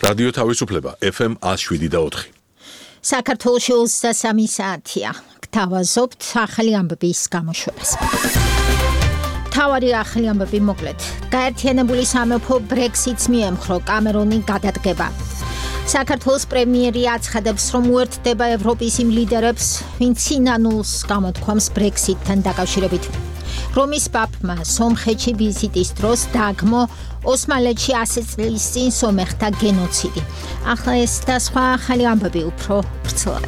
რადიო თავისუფლება FM 107.4. საქართველოში 23 საათია. გთავაზობთ ახალი ამბების გამოშვებას. თავარი ახალი ამბები მოკლედ. გაერთიანებული სამეფო Brexit-ს მიემხრო, კამერონი გადადგება. საქართველოს პრემიერი აცხადებს, რომ უერთდება ევროპის იმ ლიდერებს, ვინც სინანულს გამოთქვამს Brexit-თან დაკავშირებით. რომის პაპმა სომხეთში ვიზიტის დროს დაგმო ოსმალეთში 100 წლის წინ სომეხთა გენოციდი. ახლა ეს და სხვა ახალი ამბები უფრო ვრცლად.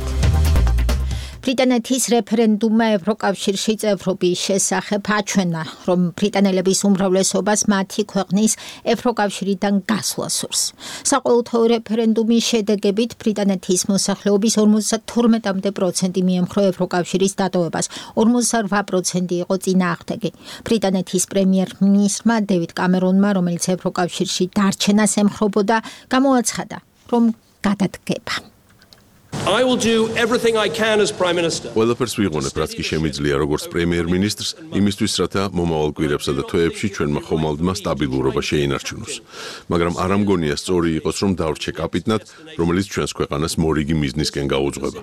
ბრიტანეთის რეფერენდუმმა ევროკავშირში წევრობის შესახებ აჩვენა, რომ ბრიტანელების უმრავლესობას მათი ქვეყნის ევროკავშირიდან გასვლა სურს. საყოველთაო რეფერენდუმის შედეგებით ბრიტანეთის მოსახლეობის 52% მიემხრო ევროკავშირის დატოვებას, 48% იყო წინააღმდეგი. ბრიტანეთის პრემიერ-მინისტრმა დევიდ კამერონმა, რომელიც ევროკავშირში დარჩენას ემხრობოდა, გამოაცხადა, რომ გადადგება. I will do everything I can as Prime Minister. ყველაფერს ვიღონებ, რაც კი შემიძლია როგორც პრემიერ-მინისტრს, იმისთვის, რათა მომავალ კვირებსა და თვეებში ჩვენმა ხომალდმა სტაბილურობა შეინარჩუნოს. მაგრამ არ ამგონია სწორი იყოს, რომ დავრჩე კაპიტნად, რომელიც ჩვენს ქვეყანას მორიგი მიზნისკენ გაუძღვება.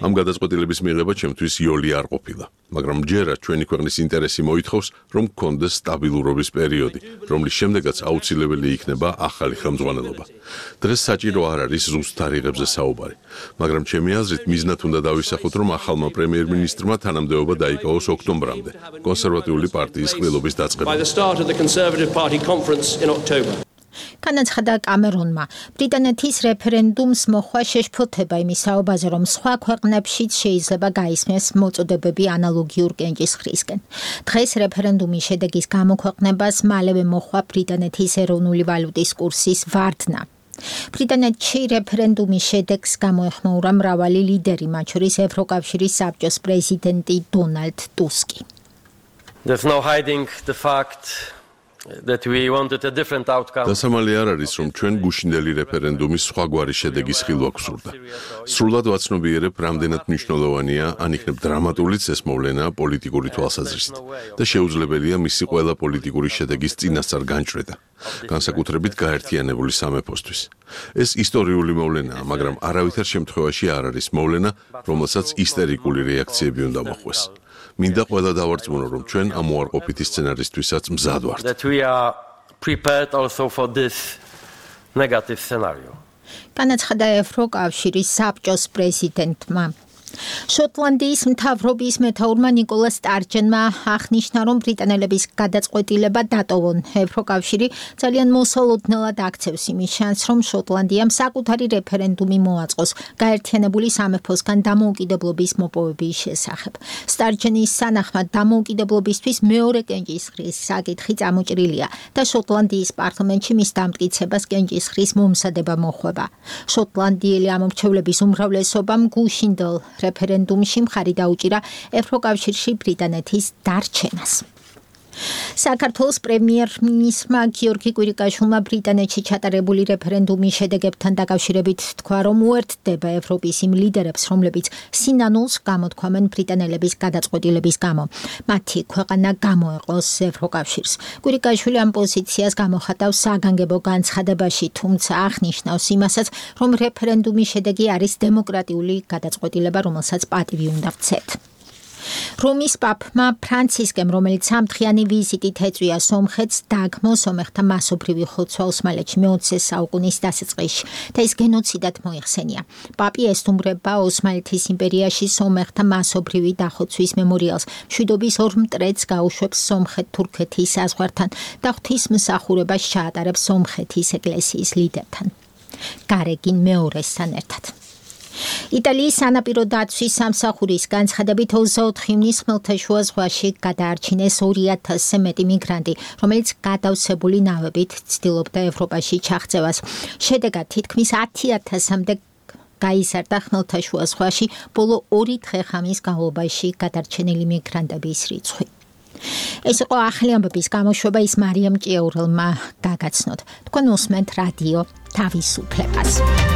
ამ გადაწყვეტილების მიღება ჩემთვის იოლი არ ყოფილა. მაგრამ ჯერა ჩვენი ქვეყნის ინტერესი მოითხოვს, რომ გქონდეს სტაბილურობის პერიოდი, რომლის შემდეგაც აუცილებელი იქნება ახალი ხელმძღვანელობა. დღეს საჭირო არ არის ზუსტ თარიღებზე საუბარი. მაგრამ ჩემი აზრით მიზნად უნდა დავისახოთ, რომ ახალმა პრემიერ-მინისტრმა თანამდებობა დაიკავოს ოქტომბრამდე, კონსერვატიული პარტიის ყრილობის დაწყებამდე. განაცხადა კამერონმა, ბრიტანეთის რეფერენდუმს მოხვა შეშფოთება იმის საუბაზე, რომ სხვა ქვეყნებშიც შეიძლება გაისმეს მოწოდებები ანალოგიურ კენჭისყრისკენ. დღეს რეფერენდუმის შედეგის გამოქვეყნებას მალევე მოხვა ბრიტანეთის ეროვნული ვალუტის კურსის ვარდნა. ბრიტანეთში რეფერენდუმის შედეგს გამოეხმაურა მრავალი ლიდერი, მათ შორის ევროკავშირის საბჭოს პრეზიდენტი დონალდ ტუსკი. There's no hiding the fact that we wanted a different outcome. დასამალი არ არის, რომ ჩვენ გუშინდელი რეფერენდუმის სხვაგვარი შედეგის ხილვა გვსურდა. სრულად ვაცნობიერებ, რამდენად მნიშვნელოვანია, ან იქნებ დრამატულიც ეს მოვლენა პოლიტიკური თვალსაზრისით და შეუძლებელია მისი ყველა პოლიტიკური შედეგის წინასწარ განჭრედა, განსაკუთრებით გაერთიანებული სამეფოსთვის. ეს ისტორიული მოვლენაა, მაგრამ არავითარ შემთხვევაში არ არის მოვლენა, რომელსაც ისტერიკული რეაქციები უნდა მოხვდეს. მინდა ყველა დავარწმუნო, რომ ჩვენ ამ უარყოფითი სცენარისთვისაც მზად ვართ. That we are prepared also for this negative scenario. განაცხადა ევროკავშირის საბჭოს პრეზიდენტმა. შოტლანდიის მთავრობის მეთაურმა ნიკოლა სტარჯენმა აღნიშნა, რომ ბრიტანელების გადაწყვეტილება დატოვონ. ევროკავშირი ძალიან მოსალოდნელად აქცევს იმის შანსს, რომ შოტლანდიამ საკუთარი რეფერენდუმი მოაწყოს გაერთიანებული სამეფოსგან დამოუკიდებლობის მოპოვების შესახებ. სტარჯენის სანახმად დამოუკიდებლობისთვის მეორე კენჭისყრის საკითხი წამოჭრილია და შოტლანდიის პარლამენტში მის დამტკიცებას კენჭისყრის მომზადება მოხვება. შოტლანდიელი ამორჩევლების უმრავლესობამ გუშინდელ რეფერენდუმში მხარი დაუჭირა ევროკავშირში ბრიტანეთის დარჩენას. საქართველოს პრემიერ-მინისტრმა გიორგი კვირიკაშვილმა ბრიტანეთში ჩატარებული რეფერენდუმის შედეგებთან დაკავშირებით თქვა, რომ უერთდება ევროპის იმ ლიდერებს, რომლებიც სინანულს გამოთქვამენ ბრიტანელების გადაწყვეტილების გამო. მათი ქვეყანა გამოეყოს ევროკავშირს. კვირიკაშვილი ამ პოზიციას გამოხატავს საგანგებო განცხადებაში, თუმცა აღნიშნავს იმასაც, რომ რეფერენდუმის შედეგი არის დემოკრატიული გადაწყვეტილება, რომელსაც პატივი უნდა ვცეთ. რომის პაპმა ფრანცისკემ, რომელიც სამდღიანი ვიზიტით ეწვია სომხეთს, დაგმო სომეხთა მასობრივი ხოცვა ოსმალეთში მე-20 საუკუნის დასაწყისში და ის გენოციდად მოიხსენია. პაპი ესტუმრება ოსმალეთის იმპერიაში სომეხთა მასობრივი დახოცვის მემორიალს, მშვიდობის ორ მტრედს გაუშვებს სომხეთ-თურქეთის საზღვართან და ღვთისმსახურებას ჩაატარებს სომხეთის ეკლესიის ლიდერთან, გარეგინ მეორესთან ერთად. იტალიის სანაპირო დაცვის სამსახურის განცხადებით 24 ივნისს ხმელთაშუა ზღვაში გადაარჩინეს 2000-ზე მეტი მიგრანტი, რომელიც გადავსებული ნავებით ცდილობდა ევროპაში ჩაღწევას. შედეგად თითქმის 10,000-მდე გაიზარდა ხმელთაშუა ზღვაში ბოლო 2 დღე-ღამის განმავლობაში გადარჩენილი მიგრანტების რიცხვი. ეს იყო ახალი ამბების გამოშვება, ის მარიამ ჭიაურელმა გაგაცნოთ. თქვენ უსმენთ რადიო თავისუფლებას.